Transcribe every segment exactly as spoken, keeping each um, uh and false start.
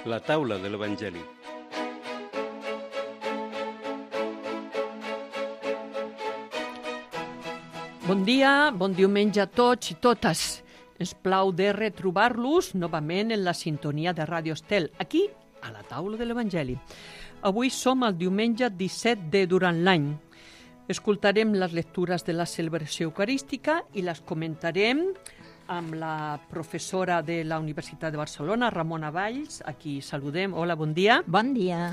La taula de l'Evangeli. Bon dia, bon diumenge a tots i totes. Ens plau de retrobar-los novament en la sintonia de Ràdio Estel, aquí, a la taula de l'Evangeli. Avui som el diumenge disset de durant l'any. Escoltarem les lectures de la celebració eucarística i les comentarem amb la professora de la Universitat de Barcelona, Ramona Valls, a qui saludem. Hola, bon dia. Bon dia.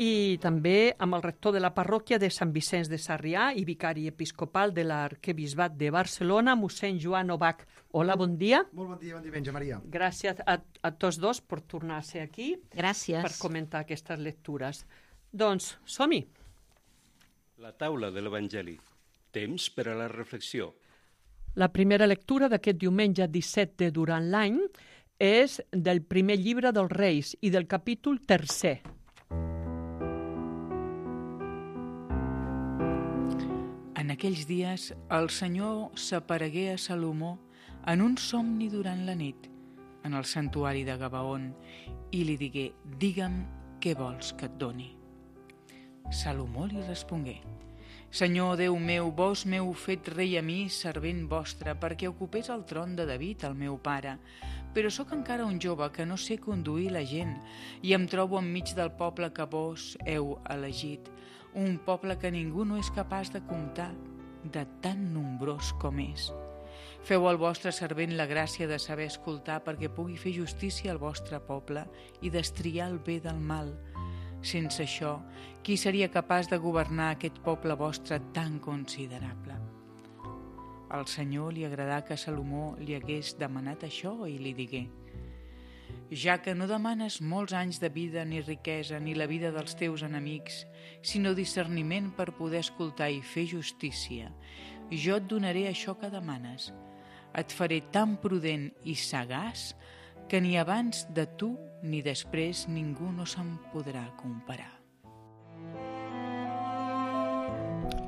I també amb el rector de la parròquia de Sant Vicenç de Sarrià i vicari episcopal de l'Arquebisbat de Barcelona, mossèn Joan Obach. Hola, bon dia. Molt bon dia, bon diumenge, Maria. Gràcies a, a tots dos per tornar a ser aquí. Gràcies. Per comentar aquestes lectures. Doncs, som-hi. La taula de l'Evangeli. Temps per a la reflexió. La primera lectura d'aquest diumenge disset de durant l'any és del primer llibre dels Reis i del capítol tercer. En aquells dies, el Senyor s'aparegué a Salomó en un somni durant la nit, en el santuari de Gabaon, i li digué: «Digue'm què vols que et doni». Salomó li respongué: «Senyor Déu meu, vos m'heu fet rei a mi, servent vostre, perquè ocupés el tron de David, el meu pare. Però sóc encara un jove que no sé conduir la gent, i em trobo enmig del poble que vos heu elegit, un poble que ningú no és capaç de comptar, de tan nombrós com és. Feu al vostre servent la gràcia de saber escoltar perquè pugui fer justícia al vostre poble i destriar el bé del mal. Sense això, qui seria capaç de governar aquest poble vostre tan considerable?» Al Senyor li agradà que Salomó li hagués demanat això i li digué: «Ja que no demanes molts anys de vida ni riquesa ni la vida dels teus enemics, sinó discerniment per poder escoltar i fer justícia, jo et donaré això que demanes. Et faré tan prudent i sagaç que ni abans de tu ni després ningú no se'n podrà comparar».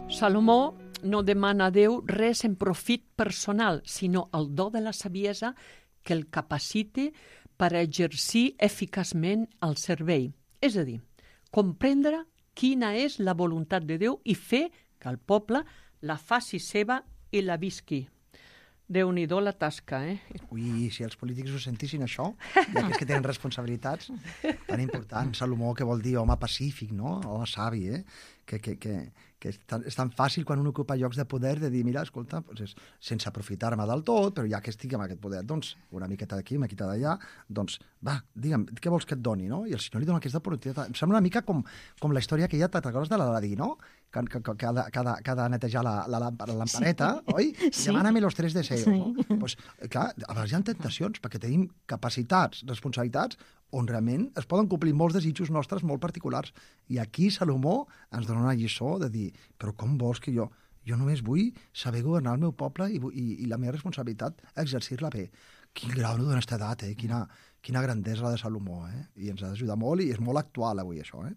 Salomó no demana a Déu res en profit personal, sinó el do de la saviesa que el capacite per a exercir eficaçment el servei. És a dir, comprendre quina és la voluntat de Déu i fer que el poble la faci seva i la visqui. Déu-n'hi-do la tasca, eh? Ui, si els polítics ho sentissin això, i aquells que tenen responsabilitats tan importants. Salomó, que vol dir home pacífic, no? Home savi, eh? Que, que, que, que és, tan, és tan fàcil quan un ocupa llocs de poder de dir, mira, escolta, doncs és, sense aprofitar-me del tot, però ja que estic amb aquest poder, doncs, una miqueta d'aquí, una miqueta d'allà, doncs, va, digue'm, què vols que et doni, no? I el Senyor li dona aquesta oportunitat. Em sembla una mica com, com la història que hi ha, te'n recordes de l'Aladí, no? Que, que, que, que, ha de, que, ha de, que ha de netejar la, la, la lampareta, sí. Oi? Sí. Demana-me los tres deseos, Sí. no? Pues, clar, a vegades hi ha tentacions, perquè tenim capacitats, responsabilitats, on realment es poden complir molts desitjos nostres molt particulars. I aquí Salomó ens dona una lliçó de dir, però com vols que jo... Jo només vull saber governar el meu poble i, i, i la meva responsabilitat exercir-la bé. Quin grau d'honestedat, eh? Quina, quina grandesa la de Salomó, eh? I ens ha d'ajudar molt i és molt actual avui això, eh?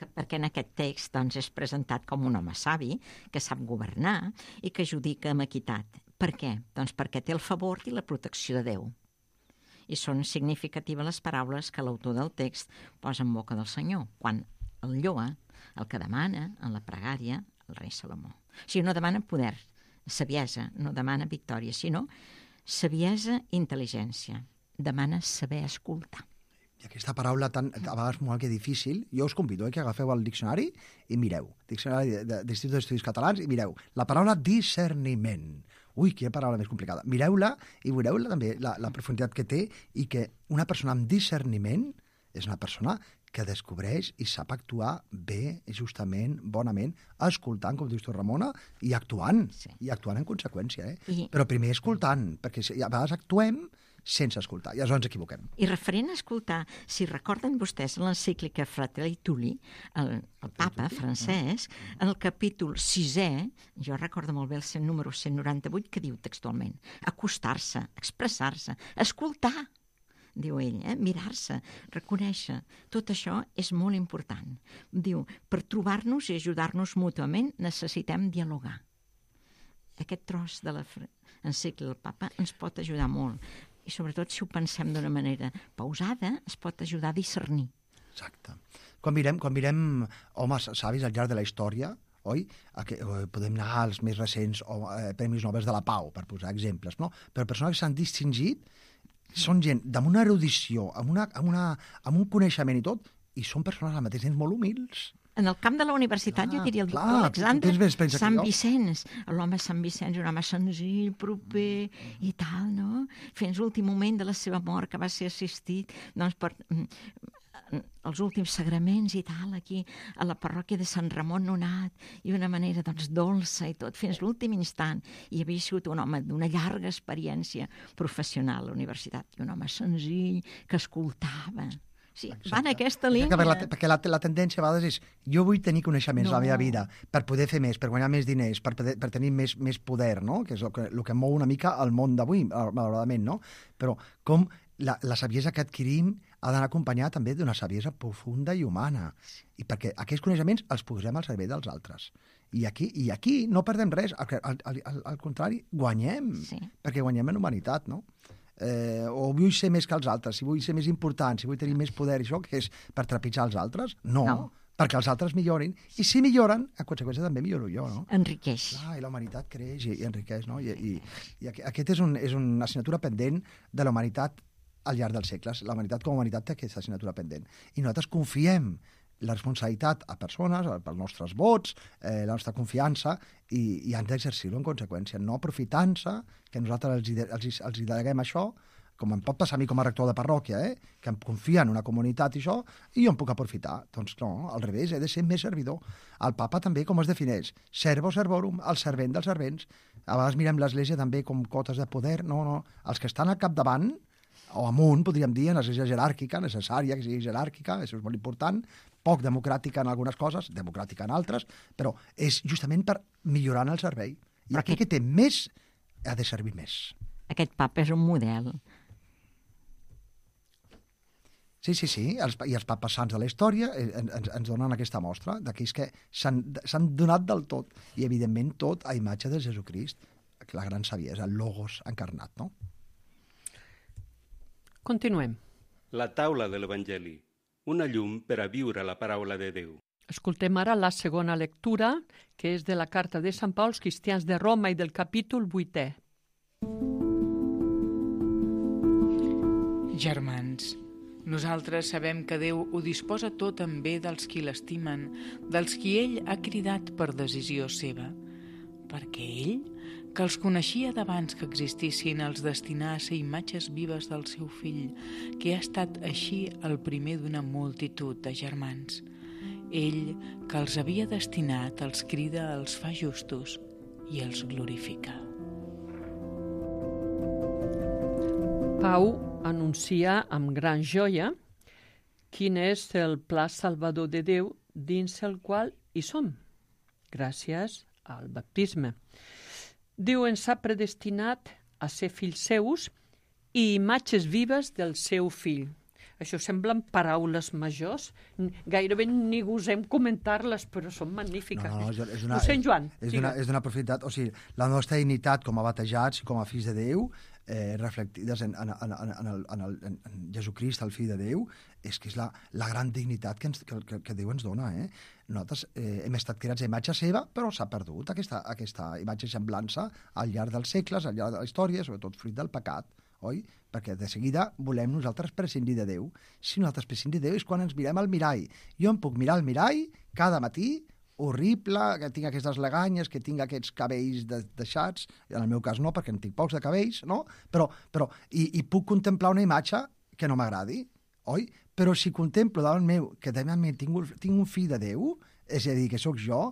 Perquè en aquest text doncs, és presentat com un home savi, que sap governar i que judica amb equitat. Per què? Doncs perquè té el favor i la protecció de Déu. I són significatives les paraules que l'autor del text posa en boca del Senyor, quan el lloa, el que demana en la pregària, el rei Salomó. O sigui, no demana poder, saviesa, no demana victòria, sinó saviesa i intel·ligència. Demana saber escoltar. I aquesta paraula tan, a vegades molt que difícil, jo us convido eh, que agafeu el diccionari i mireu, diccionari de, de l'Institut d'Estudis Catalans, i mireu la paraula discerniment. Ui, quina paraula més complicada. Mireu-la i veureu també la, la profunditat que té, i que una persona amb discerniment és una persona que descobreix i sap actuar bé, justament, bonament, escoltant, com dius tu, Ramona, i actuant, sí. I actuant en conseqüència. Eh? I... Però primer escoltant, perquè a vegades actuem sense escoltar, i aleshores ens equivoquem. I referent a escoltar, si recorden vostès l'encíclica Fratelli Tutti, el, el papa francès, en el capítol sisè, jo recordo molt bé el cent, número cent noranta-vuit, que diu textualment: acostar-se, expressar-se, escoltar, diu ell, eh? Mirar-se, reconèixer. Tot això és molt important. Diu, per trobar-nos i ajudar-nos mútuament necessitem dialogar. Aquest tros de l'encíclica del papa ens pot ajudar molt. i sobretot si ho pensem d'una manera pausada, es pot ajudar a discernir. Exacte. Quan mirem, quan mirem homes savis al llarg de la història, oi? Podem anar als més recents o, eh, Premis Nobel de la Pau, per posar exemples, no? Però persones que s'han distingit són gent amb una erudició, amb, una, amb, una, amb un coneixement i tot, i són persones al mateix temps molt humils. En el camp de la universitat, clar, jo diria el doctor clar, Alexandre Sant Vicenç, l'home Sant Vicenç, un home senzill, proper i tal, no? Fins l'últim moment de la seva mort, que va ser assistit doncs, per els últims sagraments i tal, aquí a la parròquia de Sant Ramon Nonat, i una manera doncs, dolça i tot, fins l'últim instant. I havia sigut un home d'una llarga experiència professional a la universitat, i un home senzill, que escoltava. Sí, va en aquesta línia. La, perquè la, la tendència a vegades és jo vull tenir coneixements no. a la meva vida per poder fer més, per guanyar més diners, per, poder, per tenir més, més poder, no? Que és el que, el que mou una mica el món d'avui, malauradament, no? Però com la, la saviesa que adquirim ha d'anar acompanyada també d'una saviesa profunda i humana. I perquè aquests coneixements els posem al servei dels altres. I aquí, i aquí no perdem res, al, al, al, al contrari, guanyem, sí. perquè guanyem en humanitat, no? Eh, o vull ser més que els altres, si vull ser més important, si vull tenir més poder, això, que és per trepitjar els altres? No, no. perquè els altres millorin, i si milloren, en conseqüència també milloro jo, no? Enriqueix. Clar, i la humanitat creix i, i enriqueix, no? I, i, i aquest és, un, és una assignatura pendent de la humanitat al llarg dels segles. La humanitat com a humanitat té aquesta assignatura pendent. I nosaltres confiem la responsabilitat a persones, pels nostres vots, eh, la nostra confiança, i, i han d'exercir-ho en conseqüència, no aprofitant-se que nosaltres els, els, els deleguem això, com em pot passar a mi com a rector de parròquia, eh, que em confia en una comunitat i això, i jo em puc aprofitar. Doncs no, al revés, he de ser més servidor. El papa també com es defineix? Servo servorum, el servent dels servents. A vegades mirem l'Església també com cotes de poder. No, no, els que estan al capdavant, o amunt, podríem dir, en l'església jeràrquica, necessària que sigui jeràrquica, això és molt important, poc democràtica en algunes coses, democràtica en altres, però és justament per millorar el servei. I aquell que té més ha de servir més. Aquest papa és un model. Sí, sí, sí, els, i els papes sants de la història ens, ens donen aquesta mostra d'aquells que s'han donat del tot, i evidentment tot a imatge de Jesucrist, la gran saviesa, el logos encarnat, no? Continuem. La taula de l'Evangeli, una llum per a viure la paraula de Déu. Escoltem ara la segona lectura, que és de la carta de Sant Pau als cristians de Roma i del capítol vuitè. Germans, nosaltres sabem que Déu ho disposa tot en bé dels qui l'estimen, dels qui ell ha cridat per decisió seva, perquè ell, que els coneixia d'abans que existissin, els destinà a ser imatges vives del seu fill, que ha estat així el primer d'una multitud de germans. Ell, que els havia destinat, els crida, els fa justos i els glorifica. Pau anuncia amb gran joia quin és el pla salvador de Déu dins el qual hi som, gràcies al baptisme. Déu ens ha predestinat a ser fills seus i imatges vives del seu fill. Això semblen paraules majors. Gairebé ni gosem comentar-les, però són magnífiques. No, no, és una, Ho sent, Joan? És d'una és profunditat. O sigui, la nostra dignitat com a batejats i com a fills de Déu, eh, reflectides en, en, en, en, el, en, el, en Jesucrist, el fill de Déu, és que és la, la gran dignitat que, ens, que, que Déu ens dona. Eh? Nosaltres eh, hem estat creats a imatge seva, però s'ha perdut aquesta, aquesta imatge semblança al llarg dels segles, al llarg de la història, sobretot fruit del pecat, oi? Perquè de seguida volem nosaltres prescindir de Déu. Si nosaltres prescindim de Déu és quan ens mirem al mirall. Jo em puc mirar al mirall cada matí, horrible, que tinc aquestes leganyes, que tinc aquests cabells de, deixats, en el meu cas no, perquè en tinc pocs de cabells, no? Però, però i, i puc contemplar una imatge que no m'agradi, oi? Però si contemplo davant meu que davant meu tinc, tinc un fill de Déu, és a dir, que sóc jo,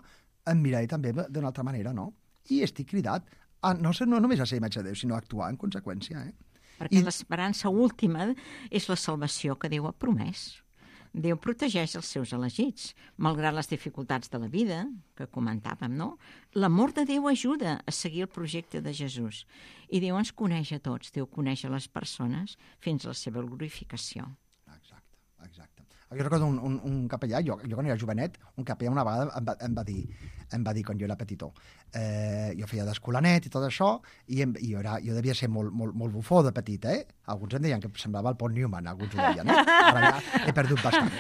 em miraré també d'una altra manera, no? I estic cridat a no, ser, no només a ser imatge de Déu, sinó a actuar en conseqüència, eh? Perquè I... l'esperança última és la salvació que Déu ha promès. Déu protegeix els seus elegits, malgrat les dificultats de la vida, que comentàvem, no? L'amor de Déu ajuda a seguir el projecte de Jesús. I Déu ens coneix a tots, Déu coneix a les persones fins a la seva glorificació. Exacte. Exacte. Jo recordo un, un, un capellà, jo, jo quan era jovenet, un capellà una vegada em va, em va dir, em va dir quan jo era petitó, eh, jo feia d'escolanet i tot això, i, em, i jo, era, jo devia ser molt, molt, molt bufó de petit, eh? Alguns em deien que semblava el Paul Newman, alguns ho deien, eh? Ara ja he perdut bastant.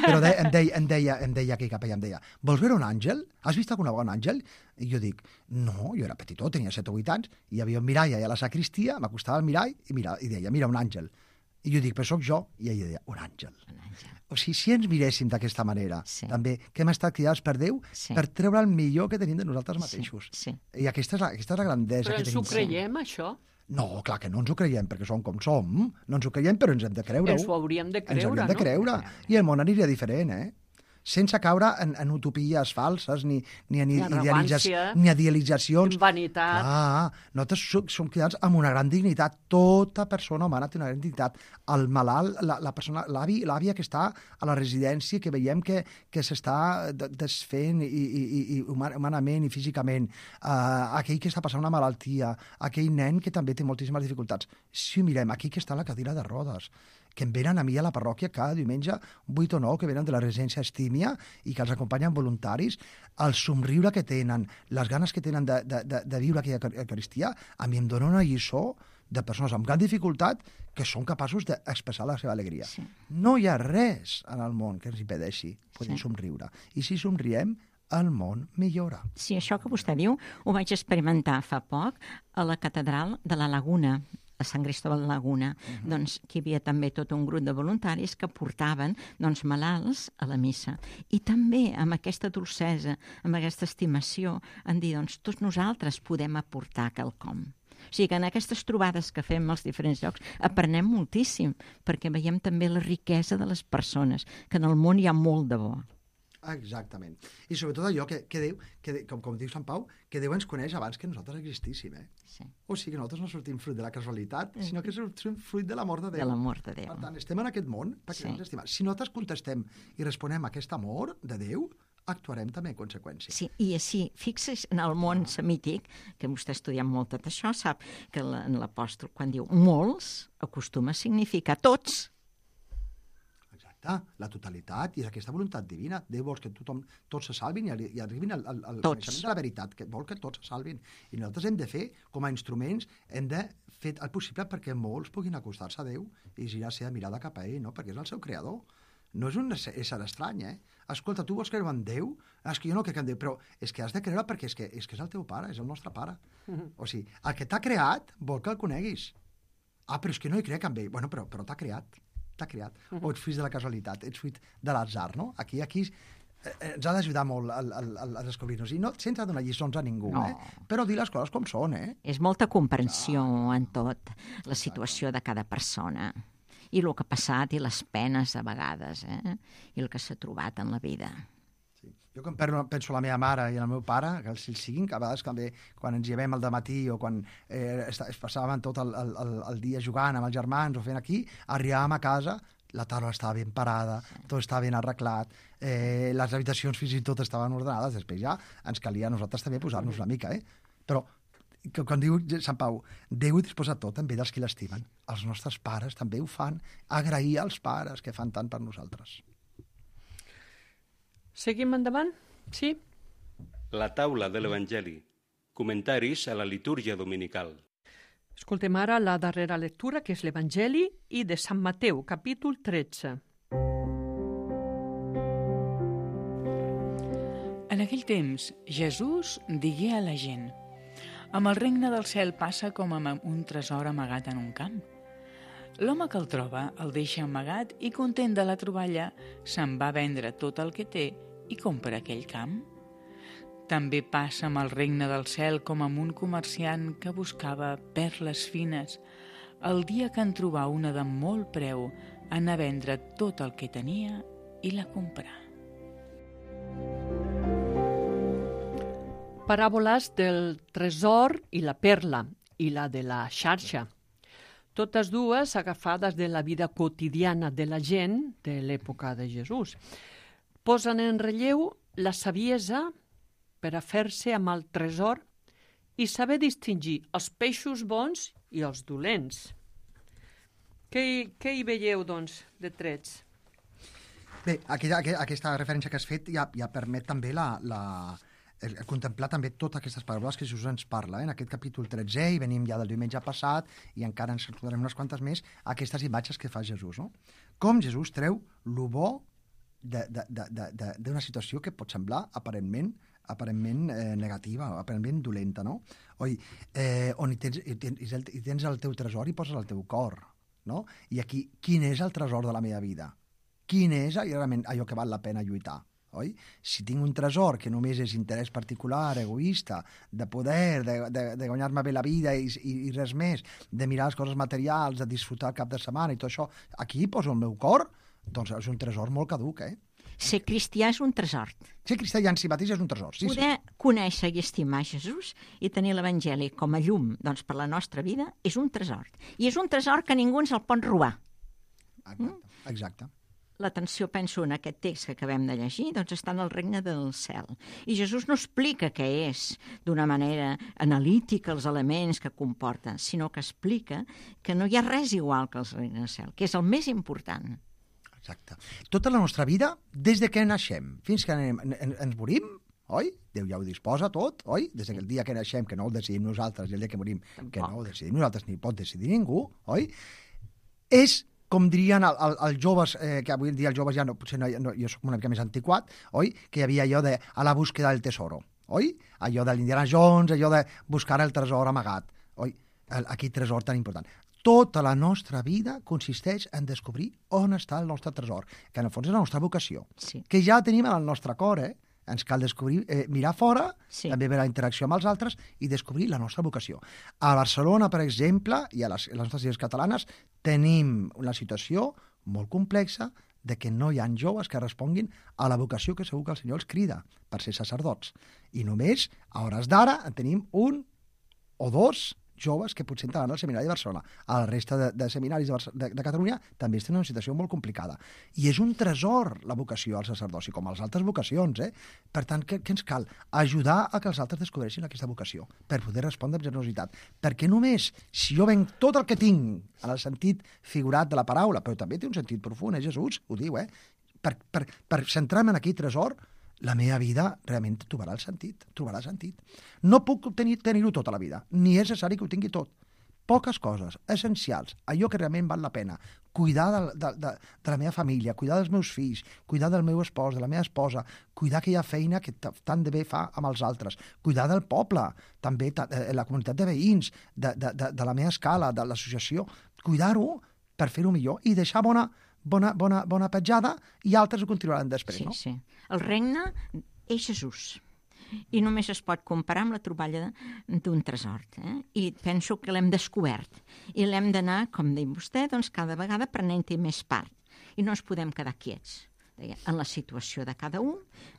Però de, em, deia, em, deia, em deia aquell capellà, em deia, vols veure un àngel? Has vist alguna vegada un àngel? I jo dic, no, jo era petitó, tenia set o vuit anys, i hi havia un mirall allà a la sacristia, m'acostava al mirall i, mira, i deia, mira, un àngel. I jo dic, però sóc jo. I ella deia, un àngel. Un àngel. O sigui, si ens miréssim d'aquesta manera, Sí. també, que hem estat criats per Déu, Sí. per treure el millor que tenim de nosaltres mateixos. Sí, sí. I aquesta és la, aquesta és la grandesa Però que ens tenim. ho creiem, això? No, clar que no ens ho creiem, perquè som com som. No ens ho creiem, però ens hem de creure-ho. Ens ho hauríem de Ens creure, hauríem de no? creure. I el món aniria diferent, eh? Sense caure en, en utopies falses, ni, ni, en Ni idealitza, arrogància, ni idealitzacions. en vanitat. Clar, nosaltres som, som criats amb una gran dignitat. Tota persona humana té una gran dignitat. El malalt, la, la persona, l'avi, l'àvia que està a la residència, que veiem que, que s'està de- desfent i, i, i, i human- humanament i físicament, uh, aquell que està passant una malaltia, aquell nen que també té moltíssimes dificultats. Si ho mirem, aquell que està a la cadira de rodes, que em venen a mi a la parròquia cada diumenge, vuit o nou, que venen de la residència Estímia i que els acompanyen voluntaris, el somriure que tenen, les ganes que tenen de, de, de, de viure aquella Eucaristia, a mi em dona una lliçó de persones amb gran dificultat que són capaços d'expressar la seva alegria. Sí. No hi ha res en el món que ens impedeixi poder Sí. somriure. I si somriem, el món millora. Sí, això que vostè diu ho vaig experimentar fa poc a la catedral de la Laguna, a Sant Cristóbal de Laguna. Uh-huh. Doncs que hi havia també tot un grup de voluntaris que portaven doncs, malalts a la missa. I també amb aquesta dolcesa, amb aquesta estimació, en dir, doncs, tots nosaltres podem aportar quelcom. O sigui que en aquestes trobades que fem als diferents llocs aprenem moltíssim, perquè veiem també la riquesa de les persones, que en el món hi ha molt de bo. Exactament. I sobretot allò que, que Déu, que, com, com diu Sant Pau, que Déu ens coneix abans que nosaltres existíssim. Eh? Sí. O sigui que nosaltres no sortim fruit de la casualitat, sinó que sortim fruit de l'amor de Déu. De l'amor de Déu. Per tant, estem en aquest món perquè Sí. ens estimem. Si nosaltres contestem i responem a aquest amor de Déu, actuarem també en conseqüència. Sí, i així, fixis en el món semític, que vostè ha estudiat molt tot això, sap que la- en l'apòstol, quan diu molts, acostuma a significar tots. Exacte, la totalitat i aquesta voluntat divina. Déu vol que tothom, tots se salvin i, arri- i arribin al, al, al Tots. coneixement de la veritat, que vol que tots se salvin. I nosaltres hem de fer, com a instruments, hem de fer el possible perquè molts puguin acostar-se a Déu i girar la seva mirada cap a ell, no? Perquè és el seu creador. No és un ésser ésser estrany, eh? Escolta, tu vols creure en Déu? És que jo no crec en Déu, però és que has de creure perquè és que és, que és el teu pare, és el nostre pare. O sigui, el que t'ha creat vol que el coneguis. Ah, però és que no hi crec en ell. Bueno, però, però t'ha creat. T'ha creat. O ets fruit de la casualitat, ets fruit de l'atzar, no? Aquí, aquí eh, ens ha d'ajudar molt el, el, el, a descobrir-nos. I no sense donar lliçons a ningú, No. eh? Però dir les coses com són, eh? És molta comprensió en tot, la situació de cada persona, i el que ha passat, i les penes a vegades, eh? I el que s'ha trobat en la vida. Sí. Jo quan penso, penso en la meva mare i en el meu pare, que els siguin, que a vegades també, quan ens llevem al dematí o quan eh, es, es passaven tot el, el, el, el dia jugant amb els germans o fent aquí, arribàvem a casa, la taula estava ben parada, tot estava ben arreglat, eh, les habitacions fins i tot estaven ordenades, després ja ens calia a nosaltres també posar-nos una mica, eh? Però que quan diu Sant Pau, Déu ho disposa tot també dels qui l'estimen. Els nostres pares també ho fan. Agrair als pares que fan tant per nosaltres. Seguim endavant? Sí? La taula de l'Evangeli. Comentaris a la litúrgia dominical. Escoltem ara la darrera lectura, que és l'Evangeli i de Sant Mateu, capítol tretze. En aquell temps, Jesús digué a la gent: amb el regne del cel passa com amb un tresor amagat en un camp. L'home que el troba el deixa amagat i, content de la troballa, se'n va vendre tot el que té i compra aquell camp. També passa amb el regne del cel com amb un comerciant que buscava perles fines. El dia que en trobà una de molt preu, anà a vendre tot el que tenia i la comprà. Paràboles del tresor i la perla, i la de la xarxa. Totes dues agafades de la vida quotidiana de la gent de l'època de Jesús. Posen en relleu la saviesa per a fer-se amb el tresor i saber distingir els peixos bons i els dolents. Què, hi- què hi veieu, doncs, de trets? Bé, aquella, aqu- aquesta referència que has fet ja, ja permet també la, la, el, el contemplar també totes aquestes paraules que Jesús ens parla. Eh? En aquest capítol tretze, i venim ja del diumenge passat, i encara ens recordarem unes quantes més, aquestes imatges que fa Jesús. No? Com Jesús treu lo bo d'una situació que pot semblar aparentment aparentment eh, negativa, aparentment dolenta, no? Oi, eh, on hi tens, hi, tens, hi tens el teu tresor i poses el teu cor, no? I aquí, quin és el tresor de la meva vida? Quin és realment allò que val la pena lluitar? Oi? Si tinc un tresor que només és interès particular, egoista, de poder, de, de, de guanyar-me bé la vida i, i, i res més, de mirar les coses materials, de disfrutar el cap de setmana i tot això, aquí poso el meu cor, doncs és un tresor molt caduc, eh? Ser cristià és un tresor. Ser cristià en si mateix és un tresor, sí, Poder sí. conèixer i estimar Jesús i tenir l'Evangeli com a llum doncs, per la nostra vida és un tresor. I és un tresor que ningú ens el pot robar. Exacte, exacte. L'atenció, penso, en aquest text que acabem de llegir, doncs està en el regne del cel. I Jesús no explica què és d'una manera analítica els elements que comporta, sinó que explica que no hi ha res igual que el regne del cel, que és el més important. Exacte. Tota la nostra vida, des de que naixem fins que anem, en, ens morim, oi? Déu ja ho disposa tot, oi? Des del dia que naixem, que no el decidim nosaltres, i el dia que morim, Tampoc. que no el decidim nosaltres, ni pot decidir ningú, oi? És, com dirien el, el, els joves, eh, que avui en dia els joves ja no, potser no, no, jo soc una mica més antiquat, oi? Que hi havia allò de a la búsqueda del tesoro, oi? Allò de l'Indiana Jones, allò de buscar el tresor amagat, oi? El, aquest tresor tan important. Tota la nostra vida consisteix en descobrir on està el nostre tresor, que en el fons és la nostra vocació, Sí. que ja tenim en el nostre cor, eh? Ens cal descobrir, eh, mirar fora, Sí. també veure la interacció amb els altres i descobrir la nostra vocació. A Barcelona, per exemple, i a les, a les nostres illes catalanes, tenim una situació molt complexa de que no hi ha joves que responguin a la vocació que segur que el Senyor els crida per ser sacerdots. I només, a hores d'ara, en tenim un o dos joves que potser entraran al Seminari de Barcelona. A la resta de, de seminaris de, de, de Catalunya també estan en una situació molt complicada. I és un tresor la vocació al sacerdoci, com a les altres vocacions. Eh? Per tant, què, què ens cal? Ajudar a que els altres descobreixin aquesta vocació per poder respondre amb generositat. Perquè només, si jo venc tot el que tinc, en el sentit figurat de la paraula, però també té un sentit profund, eh? Jesús ho diu, eh? Per, per, per centrar-me en aquell tresor, la meva vida realment trobarà el sentit, trobarà sentit. No puc tenir, tenir-ho tot a la vida, ni és necessari que ho tingui tot. Poques coses, essencials, allò que realment val la pena. Cuidar de, de, de, de la meva família, cuidar dels meus fills, cuidar del meu espòs, de la meva esposa, cuidar aquella feina que tant de bé fa amb els altres, cuidar del poble, també la comunitat de veïns, de, de, de, de la meva escala, de l'associació, cuidar-ho per fer-ho millor i deixar bona Bona, bona, bona petjada, i altres ho continuaran després, Sí, no? sí. El regne és Jesús. I només es pot comparar amb la troballa d'un tresor. Eh? I penso que l'hem descobert. I l'hem d'anar, com diu vostè, doncs cada vegada prenent-hi més part. I no ens podem quedar quiets en la situació de cada un.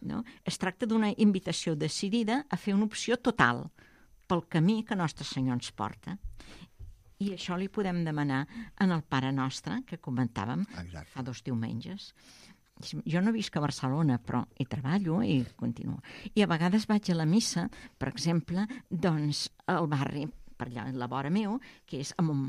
No? Es tracta d'una invitació decidida a fer una opció total pel camí que Nostre Senyor ens porta. I això li podem demanar en el Pare Nostre, que comentàvem Exacte. fa dos diumenges. Jo no visc a Barcelona, però hi treballo i continuo. I a vegades vaig a la missa, per exemple, doncs, al barri, per allà a la vora meu, que és amb un,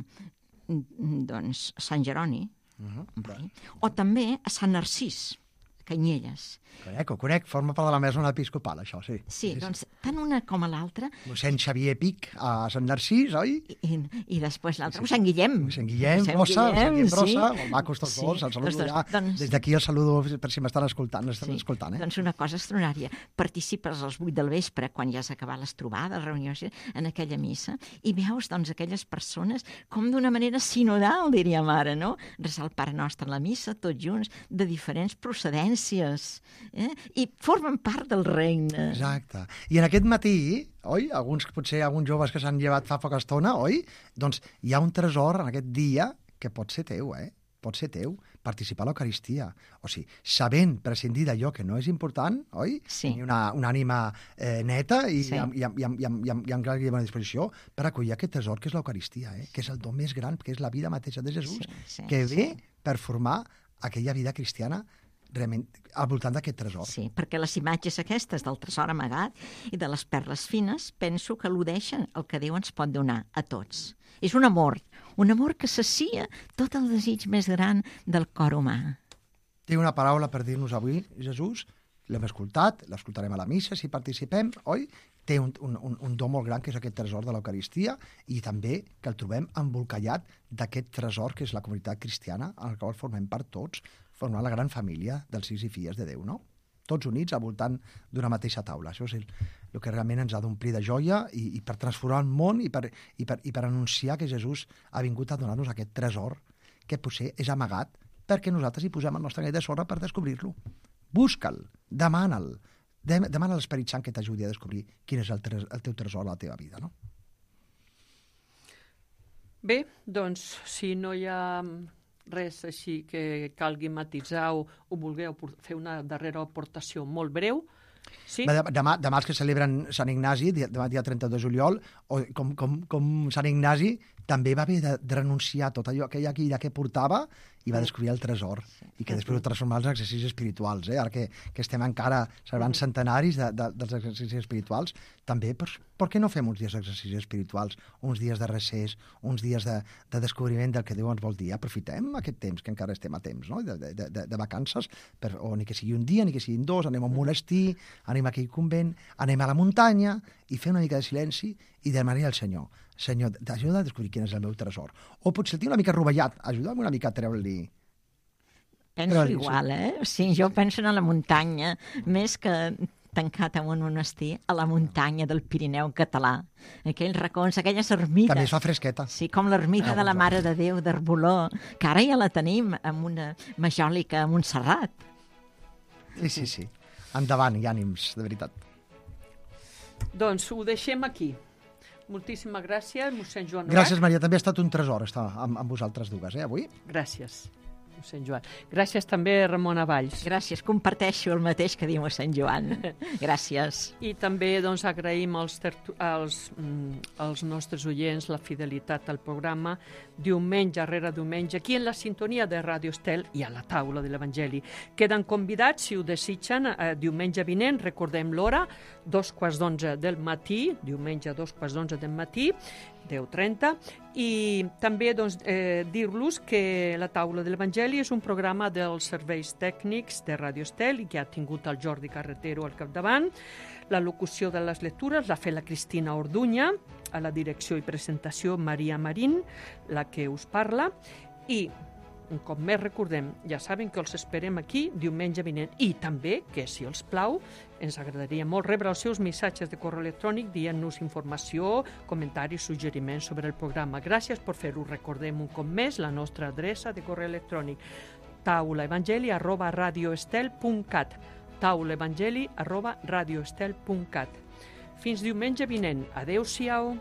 doncs, Sant Jeroni, Uh-huh. un barri, o també a Sant Narcís, Canyelles. Conec, ho conec, forma part de la mesa episcopal, això, sí. Sí, doncs, tant una com a l'altra, Mossèn Xavier Pic a Sant Narcís, oi? i, i després l'altra, sí, sí. Sant Guillem. Sant Guillem, Sant Brossa, Sant Guillem Brossa, sí. molt macos tots Sí, dos, els saludo tots dos. ja. Doncs- Des d'aquí el saludo per si m'estan escoltant, estan Sí, escoltant, eh? doncs una cosa extraordinària. Participes als vuit del vespre, quan ja s'ha acabat les trobades, les reunions, en aquella missa, i veus doncs, aquelles persones com d'una manera sinodal, diríem ara, no? Resar el Pare Nostre a la missa, tots junts, de diferents procedències, eh? I formen part del regne. Exacte. I en aquest matí, oi, alguns, potser alguns joves que s'han llevat fa poca estona, oi? Doncs hi ha un tresor en aquest dia que pot ser teu, eh? Pot ser teu, participar a l'Eucaristia. O sigui, sabent prescindir d'allò que no és important, oi? Sí. Tenir una, una ànima eh, neta i, Sí. i, amb, i, amb, i, amb, i, amb, i amb, i amb gran disposició per acollir aquest tresor que és l'Eucaristia, eh? Que és el don més gran, que és la vida mateixa de Jesús, Sí, sí, que ve sí. per formar aquella vida cristiana realment al voltant d'aquest tresor. Sí, perquè les imatges aquestes del tresor amagat i de les perles fines penso que al·ludeixen el que Déu ens pot donar a tots. És un amor, un amor que sacia tot el desig més gran del cor humà. Té una paraula per dir-nos avui, Jesús, l'hem escoltat, l'escoltarem a la missa si participem, oi? Té un, un, un do molt gran, que és aquest tresor de l'Eucaristia, i també que el trobem embolcallat d'aquest tresor que és la comunitat cristiana, en la qual formem part tots, formant la gran família dels fills i filles de Déu, no? Tots units al voltant d'una mateixa taula. Això és el, el que realment ens ha d'omplir de joia i, i per transformar el món i per, i, per, i per anunciar que Jesús ha vingut a donar-nos aquest tresor que potser és amagat perquè nosaltres hi posem el nostre ganivet de sorra per descobrir-lo. Busca'l, demana'l, demana a l'Esperit Sant que t'ajudi a descobrir quin és el, tres, el teu tresor a la teva vida, no? Bé, doncs, si no hi ha res així que calgui matisar o, o vulgueu fer una darrera aportació molt breu, sí? Demà, demà els que celebren Sant Ignasi, demà dia trenta de juliol, o com, com, com Sant Ignasi també va haver de, de renunciar a tot allò, aquella guilla que portava, i va descobrir el tresor, i que després ho transformar en exercicis espirituals. Eh? Ara que, que estem encara celebrant centenaris de, de, dels exercicis espirituals, també, per, per què no fem uns dies d'exercicis espirituals, uns dies de recés, uns dies de, de descobriment del que Déu ens vol dir? Aprofitem aquest temps, que encara estem a temps, no? de, de, de, de vacances, per, o ni que sigui un dia, ni que siguin dos, anem a un monestir, anem a aquell convent, anem a la muntanya, i fer una mica de silenci i demanar al Senyor, Senyor, t'ajuda a descobrir quin és el meu tresor. O potser el tinc una mica rovellat, ajuda'm una mica a treure-li. Penso treure igual, eh? Sí, jo penso en la muntanya, més que tancat en un monestir, a la muntanya del Pirineu català. Aquells racons, aquelles ermites. També es fa fresqueta. Sí, com l'ermita ah, de la Mare de Déu d'Arboló, que ara ja la tenim amb una majòlica a Montserrat. Sí, sí, sí. Endavant, i ànims, de veritat. Doncs ho deixem aquí. Moltíssimes gràcies, mossèn Joan Novac. Gràcies, Maria. També ha estat un tresor estar amb, amb vosaltres dues, eh, avui. Gràcies, mossèn Joan. Gràcies també, Ramona Valls. Gràcies, comparteixo el mateix que diu mossèn Joan. Gràcies. I també doncs, agraïm als, als, als nostres oients la fidelitat al programa diumenge rere diumenge, aquí en la sintonia de Ràdio Estel i a la taula de l'Evangeli. Queden convidats, si ho desitgen, eh, diumenge vinent, recordem l'hora, dos quarts d'onze del matí, diumenge dos quarts d'onze del matí, deu trenta, i també doncs, eh, dir-los que la taula de l'Evangeli és un programa dels serveis tècnics de Ràdio Estel i que ha tingut el Jordi Carretero al capdavant. La locució de les lectures l'ha fet la Cristina Orduña, a la direcció i presentació Maria Marín, la que us parla, i un cop més recordem, ja saben que els esperem aquí diumenge vinent, i també que, si els plau, ens agradaria molt rebre els seus missatges de correu electrònic dient-nos informació, comentaris, suggeriments sobre el programa. Gràcies per fer-ho. Recordem un cop més la nostra adreça de correu electrònic, taulaevangeli arroba radioestel punt cat, taulaevangeli arroba radioestel punt cat. Fins diumenge vinent. Adéu-siau.